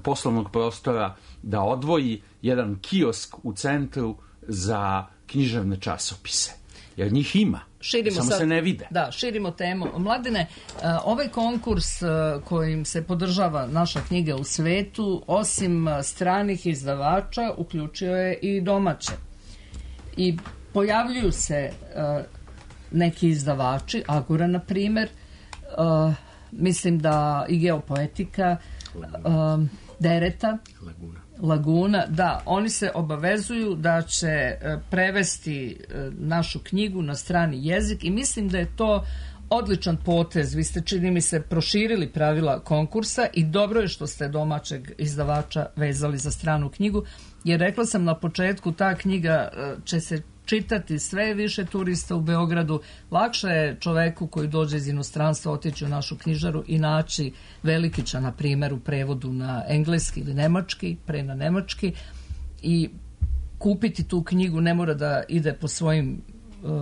poslovnog prostora da odvoji jedan kiosk u centru za književne časopise. Jer njih ima. Širimo samo sad, se ne vide. Da, širimo temu. Mladene, ovaj konkurs kojim se podržava naša knjiga u svetu, osim stranih izdavača, uključio je i domaće. I pojavljuju se uh, neki izdavači, Agora na primer, uh, mislim da i Geopoetika, uh, Dereta, Laguna. Laguna, da, oni se obavezuju da će uh, prevesti uh, našu knjigu na strani jezik i mislim da je to odličan potez. Vi ste, čini mi se, proširili pravila konkursa i dobro je što ste domaćeg izdavača vezali za stranu knjigu, jer rekla sam na početku, ta knjiga će se čitati sve više turista u Beogradu. Lakše je čoveku koji dođe iz inostranstva otići u našu knjižaru i naći Velikića, na primjer, u prevodu na engleski ili nemački, pre na nemački, i kupiti tu knjigu. Ne mora da ide po svojim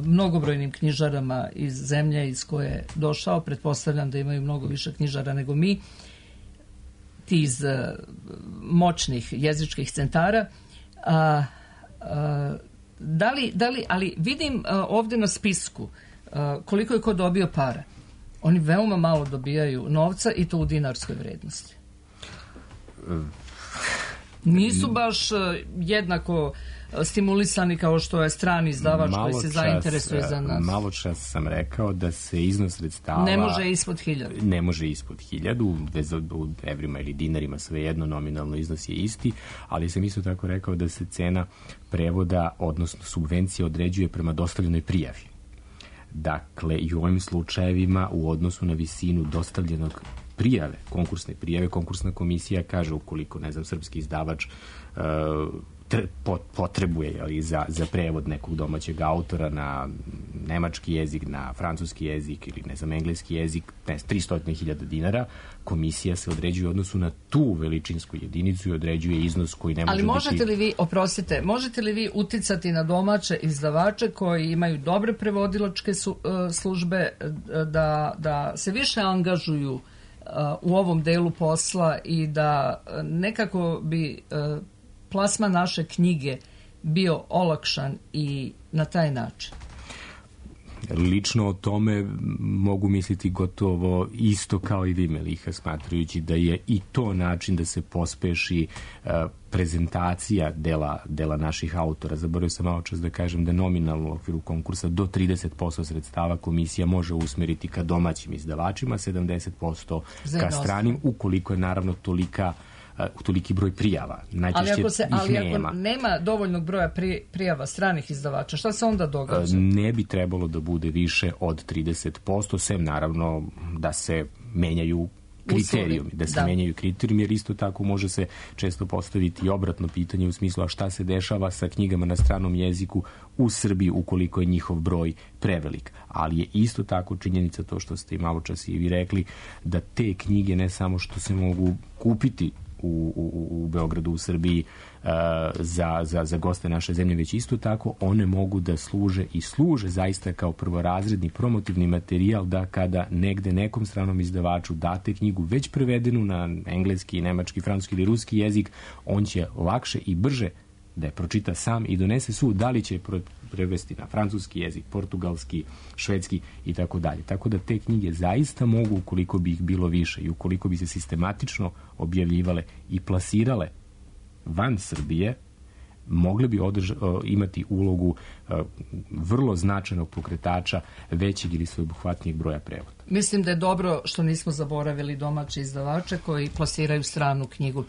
mnogobrojnim knjižarama iz zemlje iz koje je došao. Pretpostavljam da imaju mnogo više knjižara nego mi, ti iz uh, moćnih jezičkih centara. A, a, da li, da li, ali vidim a, ovde na spisku a, koliko je ko dobio para. Oni veoma malo dobijaju novca i to u dinarskoj vrednosti. Nisu baš jednako stimulisani kao što je strani izdavač koji se zainteresuje za nas. Malo čas sam rekao da se iznos sredstava ne može ispod hiljadu. Ne može ispod hiljadu, bez u evrima ili dinarima, svejedno nominalno iznos je isti, ali sam isto tako rekao da se cena prevoda, odnosno subvencija, određuje prema dostavljenoj prijavi. Dakle, i u ovim slučajevima u odnosu na visinu dostavljenog prijave, konkursne prijave, konkursna komisija kaže ukoliko, ne znam, srpski izdavač uh, potrebuje, ali, za, za prevod nekog domaćeg autora na nemački jezik, na francuski jezik ili, ne znam, engleski jezik, ne, tristo hiljada dinara, komisija se određuje u odnosu na tu veličinsku jedinicu i određuje iznos koji ne može ali biti... Ali možete li vi, oprostite, možete li vi uticati na domaće izdavače koji imaju dobre prevodilačke su, uh, službe da, da se više angažuju uh, u ovom delu posla i da uh, nekako bi uh, plasma naše knjige bio olakšan i na taj način? Lično o tome mogu misliti gotovo isto kao i vi, Meliha, smatrajući da je i to način da se pospeši uh, prezentacija dela, dela naših autora. Zaboravio sam malo čas da kažem da nominalno u okviru konkursa do trideset posto sredstava komisija može usmeriti ka domaćim izdavačima, sedamdeset posto ka stranim, ukoliko je naravno tolika u toliki broj prijava. Najčešće ali ako, se, ih ali nema. ako nema dovoljnog broja pri, prijava stranih izdavača, šta se onda događa? Ne bi trebalo da bude više od trideset posto, sem naravno da se menjaju kriterijumi, da se da. menjaju kriterijumi, jer isto tako može se često postaviti i obratno pitanje u smislu a šta se dešava sa knjigama na stranom jeziku u Srbiji ukoliko je njihov broj prevelik. Ali je isto tako činjenica to što ste i malo čas i vi rekli, da te knjige ne samo što se mogu kupiti U, u, u Beogradu, u Srbiji uh, za, za, za goste naše zemlje, već isto tako one mogu da služe i služe zaista kao prvorazredni promotivni materijal, da kada negde nekom stranom izdavaču date knjigu već prevedenu na engleski, nemački, francuski ili ruski jezik, on će lakše i brže da je pročita sam i donese sud, da li će prevesti na francuski jezik, portugalski, švedski i tako dalje. Tako da te knjige zaista mogu, ukoliko bi ih bilo više i ukoliko bi se sistematično objavljivale i plasirale van Srbije, mogle bi održ, imati ulogu vrlo značajnog pokretača većeg ili sveobuhvatnijeg broja prevoda. Mislim da je dobro što nismo zaboravili domaće izdavače koji plasiraju stranu knjigu.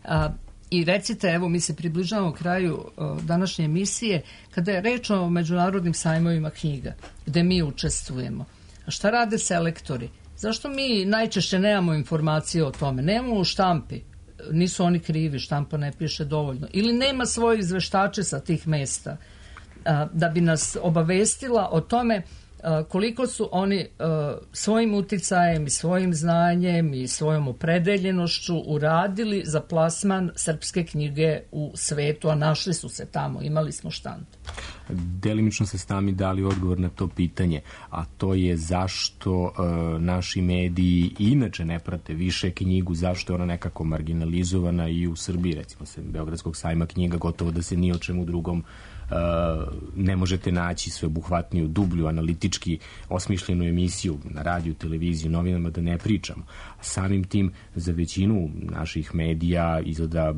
A, I recite, evo, mi se približavamo kraju uh, današnje emisije, kada je reč o međunarodnim sajmovima knjiga, gde mi učestvujemo. A šta rade selektori? Zašto mi najčešće nemamo informacije o tome? Nemamo u štampi. Nisu oni krivi, štampa ne piše dovoljno. Ili nema svoje izveštače sa tih mesta uh, da bi nas obavestila o tome koliko su oni uh, svojim uticajem i svojim znanjem i svojom opredeljenošću uradili za plasman srpske knjige u svetu, a našli su se tamo, imali smo štand. Delimično se sami dali odgovor na to pitanje, a to je zašto uh, naši mediji inače ne prate više knjigu, zašto je ona nekako marginalizovana i u Srbiji, recimo se Beogradskog sajma knjiga, gotovo da se ni o čemu drugom Uh, ne možete naći sveobuhvatniju, dublju, analitički osmišljenu emisiju na radiju, televiziju, novinama, da ne pričamo. Samim tim za većinu naših medija izgleda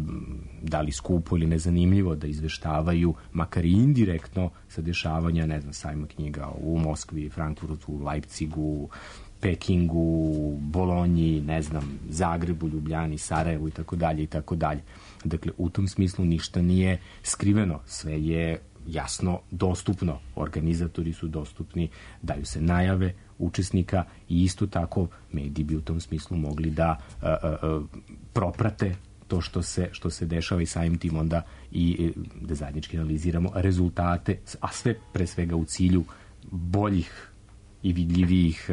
da li skupo ili nezanimljivo da izveštavaju, makar i indirektno, sa dešavanja, ne znam, sajma knjiga u Moskvi, Frankfurtu, Leipzigu, Pekingu, Bolonji, ne znam, Zagrebu, Ljubljani, Sarajevu i tako dalje i tako dalje. Dakle, u tom smislu ništa nije skriveno, sve je jasno dostupno, organizatori su dostupni, daju se najave učesnika i isto tako mediji bi u tom smislu mogli da a, a, a, proprate to što se, što se dešava i samim tim onda i da zajednički analiziramo rezultate, a sve pre svega u cilju boljih i vidljivijih,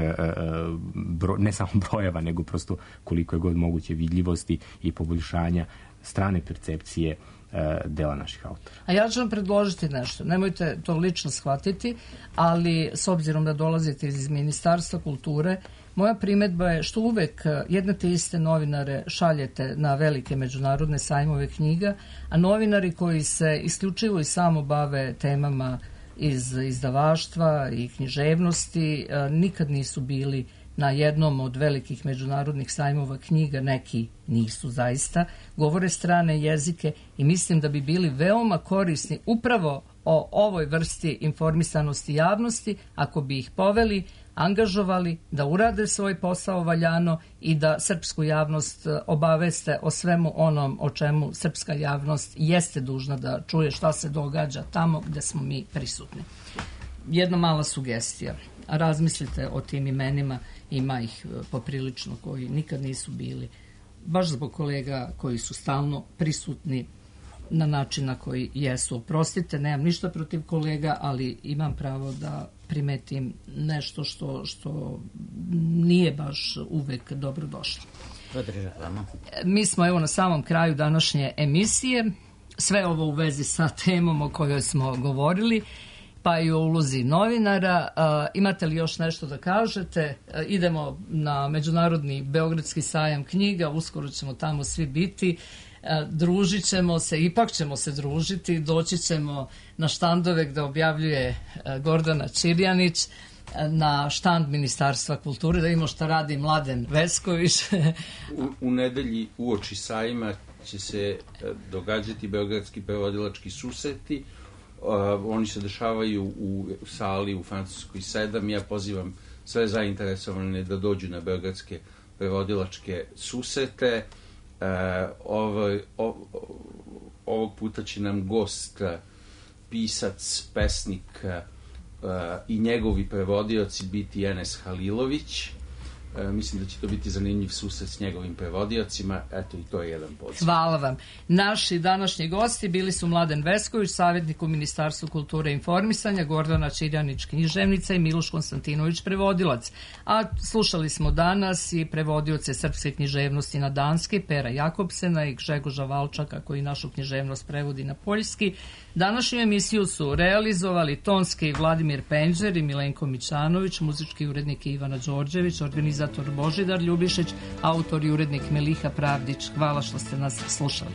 bro, ne samo brojeva, nego prosto koliko je god moguće vidljivosti i poboljšanja strane percepcije dela naših autora. A ja ću vam predložiti nešto. Nemojte to lično shvatiti, ali s obzirom da dolazite iz Ministarstva kulture, moja primedba je što uvek jedne te iste novinare šaljete na velike međunarodne sajmove knjiga, a novinari koji se isključivo i samo bave temama iz izdavaštva i književnosti nikad nisu bili na jednom od velikih međunarodnih sajmova knjiga, neki nisu zaista, govore strane jezike i mislim da bi bili veoma korisni upravo o ovoj vrsti informisanosti javnosti ako bi ih poveli, angažovali da urade svoj posao valjano i da srpsku javnost obaveste o svemu onom o čemu srpska javnost jeste dužna da čuje šta se događa tamo gde smo mi prisutni. Jedna mala sugestija. Razmislite o tim imenima, ima ih poprilično koji nikad nisu bili, baš zbog kolega koji su stalno prisutni na način na koji jesu. Oprostite, nemam ništa protiv kolega, ali imam pravo da primetim nešto što, što nije baš uvek dobro došlo. Podržavamo. Mi smo evo na samom kraju današnje emisije, sve ovo u vezi sa temom o kojoj smo govorili, pa i o ulozi novinara. A, imate li još nešto da kažete? A, idemo na Međunarodni Beogradski sajam knjiga, uskoro ćemo tamo svi biti, a, družit ćemo se, ipak ćemo se družiti, doći ćemo na štandove gde objavljuje a, Gordana Čirjanić, na štand Ministarstva kulture, da imamo šta radi Mladen Vesković. u, u nedelji uoči sajma će se događati beogradski prevodilački susreti. Uh, oni se dešavaju u sali u Francuskoj sedam. Ja pozivam sve zainteresovane da dođu na beogradske prevodilačke susrete. Uh, ovo, o, ovog puta će nam gost, pisac, pesnik uh, i njegovi prevodioci biti Enes Halilović. E, mislim da će to biti zanimljiv susret s njegovim prevodiocima. Eto, i to je jedan poziv. Hvala vam. Naši današnji gosti bili su Mladen Vesković, savjetnik u Ministarstvu kulture i informisanja, Gordana Čirjanić, književnica i Miloš Konstantinović, prevodilac. A slušali smo danas i prevodioce srpske književnosti na danski, Pera Jakobsena i Gžegoža Valčaka, koji našu književnost prevodi na poljski. Današnju emisiju su realizovali tonski Vladimir Penđer i Milenko Mićanović, muzički urednik Ivana Đorđević, organizator Božidar Ljubišić, autor i urednik Meliha Pravdić. Hvala što ste nas slušali.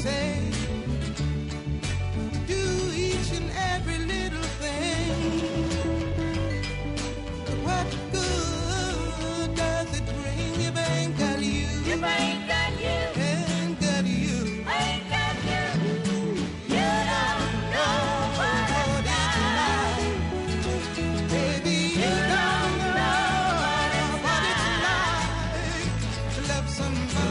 Say, do each and every little thing. What good does it bring if I ain't got you? If I ain't got you, ain't got you, ain't got you. You don't know what it's like, baby. You don't know what it's like to love somebody.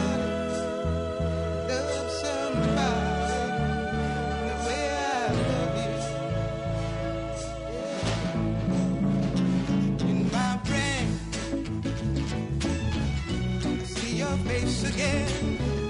Face again.